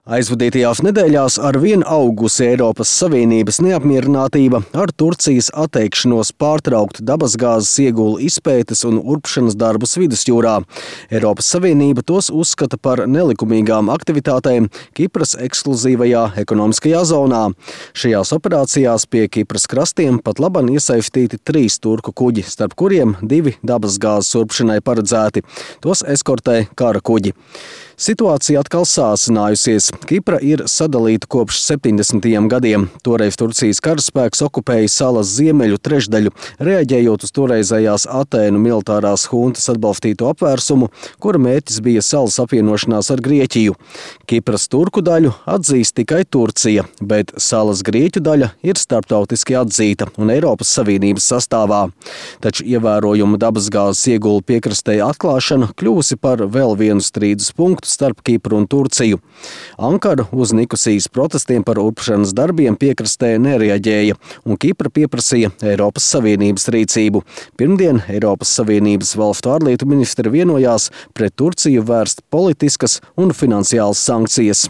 Aizvadītajās nedēļās arvien augusi Eiropas Savienības neapmierinātība ar Turcijas atteikšanos pārtraukt dabasgāzes iegūlu izpētes un urpšanas darbus vidusjūrā. Eiropas Savienība tos uzskata par nelikumīgām aktivitātēm Kipras ekskluzīvajā ekonomiskajā zonā. Šajās operācijās pie Kipras krastiem pat laban iesaistīti 3 turku kuģi, starp kuriem 2 dabasgāzes urpšanai paredzēti. Tos eskortē kara kuģi. Situācija atkal sāsinājusies. Kipra ir sadalīta kopš 70. gadiem. Toreiz Turcijas karaspēks okupēja salas ziemeļu trešdaļu, reaģējot uz toreizējās Atēnu militārās huntas atbalstīto apvērsumu, kura mērķis bija salas apvienošanās ar Grieķiju. Kipras turku daļu atzīst tikai Turcija, bet salas grieķu daļa ir starptautiski atzīta un Eiropas Savienības sastāvā. Taču ievērojuma dabasgāzes iegulu piekrastē atklāšana kļuvusi par vēl vienu strīdus punktu starp Kipru un Turciju. Ankara uz Nikosijas protestiem par urpšanas darbiem piekrastē nereaģēja, un Kipra pieprasīja Eiropas Savienības rīcību. Pirmdien Eiropas Savienības valstu ārlietu ministri vienojās pret Turciju vērst politiskas un finansiālas sankcijas.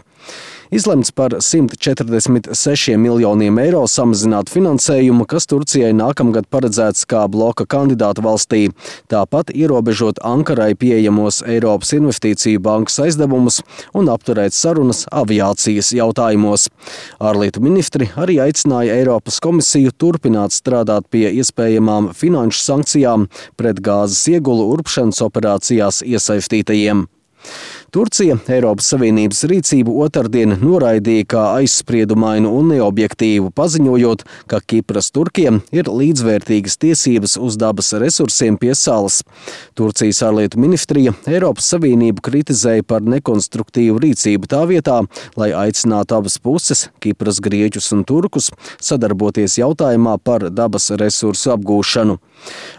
Izlemts par 146 miljoniem eiro samazināt finansējumu, kas Turcijai nākamgad paredzēts kā bloka kandidāta valstī. Tāpat ierobežot Ankarai pieejamos Eiropas Investīciju bankas aizdevumus un apturēt sarunas aviācijas jautājumos. Ārlietu ministri arī aicināja Eiropas komisiju turpināt strādāt pie iespējamām finanšu sankcijām pret gāzes iegulu urpšanas operācijās iesaistītajiem. Turcija Eiropas Savienības rīcību otrdien noraidīja kā aizspriedumainu un neobjektīvu, paziņojot, ka Kipras turkiem ir līdzvērtīgas tiesības uz dabas resursiem pie salas. Turcijas ārlietu ministrija Eiropas Savienību kritizēja par nekonstruktīvu rīcību tā vietā, lai aicinātu abas puses, Kipras grieķus un turkus, sadarboties jautājumā par dabas resursu apgūšanu.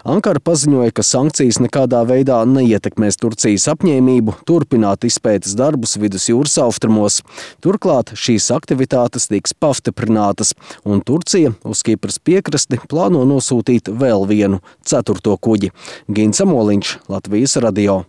Ankara paziņoja, ka sankcijas nekādā veidā neietekmēs Turcijas apņēmību turpināt izpētes darbus vidusjūras austrumos. Turklāt šīs aktivitātes tiks pastiprinātas, un Turcija uz Kipras piekrasti plāno nosūtīt vēl vienu 4. kuģi. Gins Amoliņš, Latvijas radio.